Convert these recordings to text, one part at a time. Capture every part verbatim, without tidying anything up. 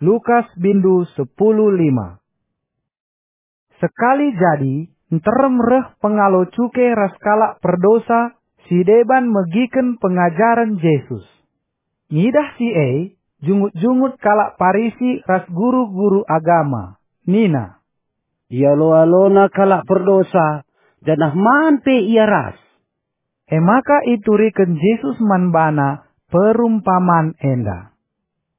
Lukas bindu sepuluh lima. Sekali jadi, nterem reh pengalo cuke ras kalak perdosa si deban megiken pengajaren Jesus. Ngidah si e, jungut-jungut kalak Parisi ras guru-guru agama, nina, "Ialo-alona kalak perdosa, janah man pe ia ras." E maka ituriken Jesus man bana perumpaman enda,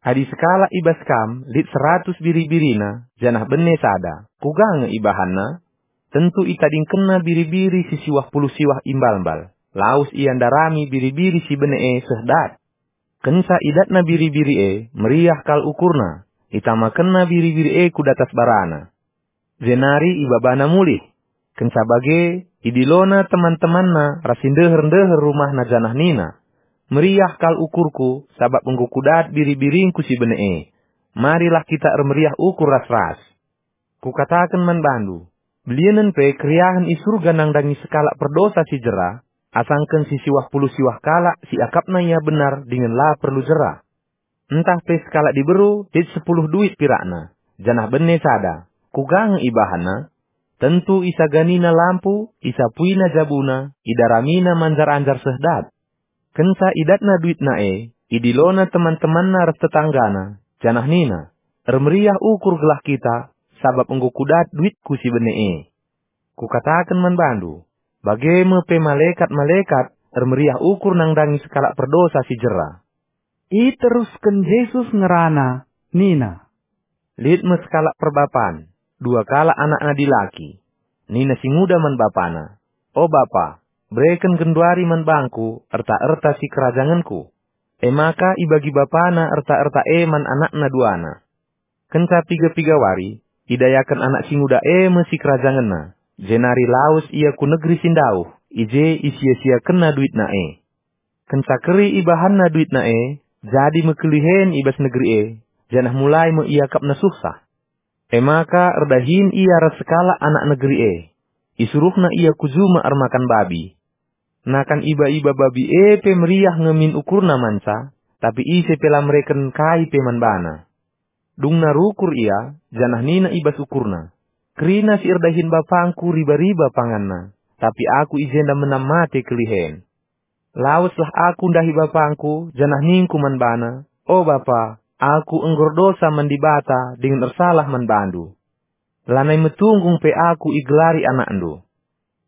"Adi sekalak i bas kam lit seratus biri-birina, janah bene sada, kuga nge ibahanna? Tentu itadingkenna biri-biri si siwah puluh siwah imbalmbal, lawes ia ndarami biri-biri si bene e seh dat. Kenca idatna biri-biri e, meriah kal ukurna, itamakenna biri-biri e ku datas barana, jenari ibabana mulih. Kenca bage, idilona teman-temanna ras si ndeher-ndeher rumahna janah nina, 'Meriah kal ukurku, sabap enggo kudat biri-biringku si bene e. Marilah kita ermeriah ukur ras-ras.' Kukataken man bandu, belienen pe keriahen i Surga nandangi sekalak perdosa si jera, asangken si siwah puluh siwah kalak si akapna ia benar dingen la perlu jera. Ntah pe sekalak diberu lit sepuluh duit pirakna, janah bene sada, kuga nge ibahanna? Tentu isaganina lampu, isapuina jabuna, idaramina manjar-anjar seh dat. Kenca idatna duitna e, idilona teman-temanna ras tetanggana, janah nina, 'Ermeriah ukur gelah kita, sabap enggo kudat duitku si bene e.' Kukataken man bandu, bage me pe malekat-malekat ermeriah ukur nandangi sekalak perdosa si jera." Iterusken Jesus ngerana, nina, "Lit me sekalak perbapan, dua kalak anakna dilaki. Nina si nguda man bapana, 'O bapa, bereken genduari man bangku erta-erta si kerajangenku.' E maka ibagi bapana erta-erta e man anakna duana. Kenca piga-piga wari, idayaken anak si nguda e me si kerajangenna, jenari lawes ia ku negeri si ndauh, i je isia-siakenna duitna e. Kenca keri ibahanna duitna e, jadi me kelihen i bas negeri e, janah mulai me iakapna suhsah. E maka erdahin ia ras sekalak anak negeri e. Isuruhna ia ku juma ermakan babi. Nakan iba-iba babi e pe meriah nge min ukurna manca, tapi ise pe la mereken kai pe man bana. Dungna rukur ia, janah nina i bas ukurna, 'Kerina si erdahin bapangku riba-riba panganna, tapi aku i jenda menam mate kelihen. Laweslah aku ndahi bapangku, janah ningku man bana, O bapa, aku enggo erdosa man Dibata dingen ersalah man bandu. Lanai metunggung pe aku igelari anakndu.'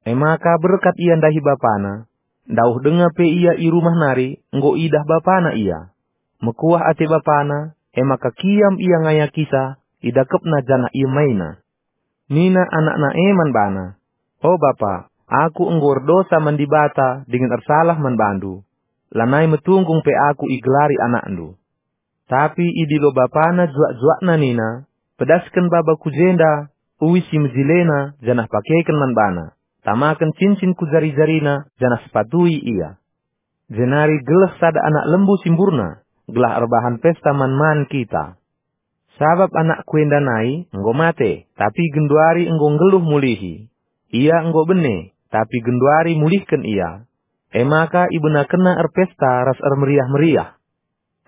E maka berkat ia ndahi bapana. Ndauh denga pe ia i rumah nari, enggo idah bapana ia. Mekuah ate bapana, e maka kiam ia ngayakisa, idakepna janah iemaina. Nina anakna e man bana, 'O bapa, aku enggo erdosa man Dibata dingen ersalah man bandu. Lanai metunggung pe aku igelari anakndu.' Tapi idilo bapana juak-juakna nina, 'Pedasken baba ku jenda, uis si mejilena, janah pakeken man bana. Tamaken cincin ku jari-jarina, janah sepatui ia. Jenari geleh sada anak lembu si mburna, gelah erbahan pesta man-man kita.' Sabap anakku enda nai enggo mate, tapi genduari enggo nggeluh mulihi. Ia enggo bene, tapi genduari mulihken ia.' E maka ibenakenna erpesta ras ermeriah-meriah.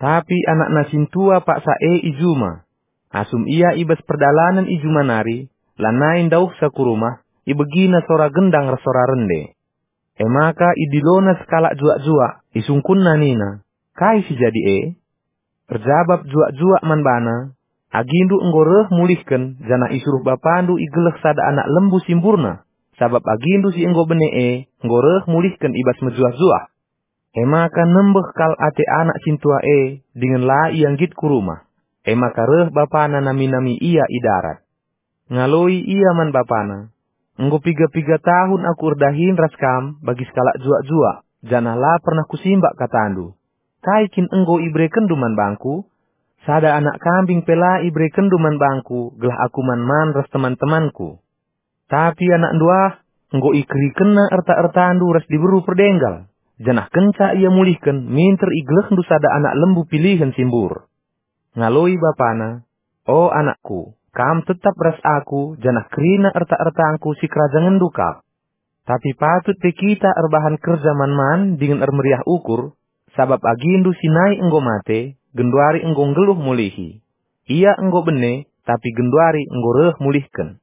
Tapi anakna sintua paksa e i juma. Asum ia i bas perdalanen i juma nari, lanai ndauhsa ku rumah, ibegina sora gendang ras sora rende. E maka idilona sekalak juak-juak, isungkunna nina, 'Kai si jadi e?' Erjabap juak-juak man bana, 'Agindu enggo reh mulihken, janah isuruh bapandu igeleh sada anak lembu si mburna, sabap agindu si enggo bene e enggo reh mulihken i bas mejuah-juah.' E maka nembeh kal ate anak sintua e, dingen la ia nggit ku rumah. E maka reh bapana nami-nami ia i darat. Ngaloi ia man bapana, 'Enggo piga-piga tahun aku erdahin ras kam bagi sekalak juak-juak, janah la pernah kusimbak katandu. Kai kin enggo iberekenndu man bangku? Sada anak kambing pe la iberekenndu man bangku gelah aku man-man ras teman-temanku. Tapi anakndu ah, enggo ikerikenna erta-ertandu ras diberu perdenggal, janah kenca ia mulihken minter igelehndu sada anak lembu pilihen si mbur.' Ngaloi bapana, 'O anakku, kam tetap ras aku, janah kerina erta-ertangku si kerajangenndu kap. Tapi patut pe kita erbahan kerja man-man dingen ermeriah ukur, sabap agindu si nai enggo mate, genduari enggo nggeluh mulihi. Ia enggo bene, tapi genduari enggo reh mulihken.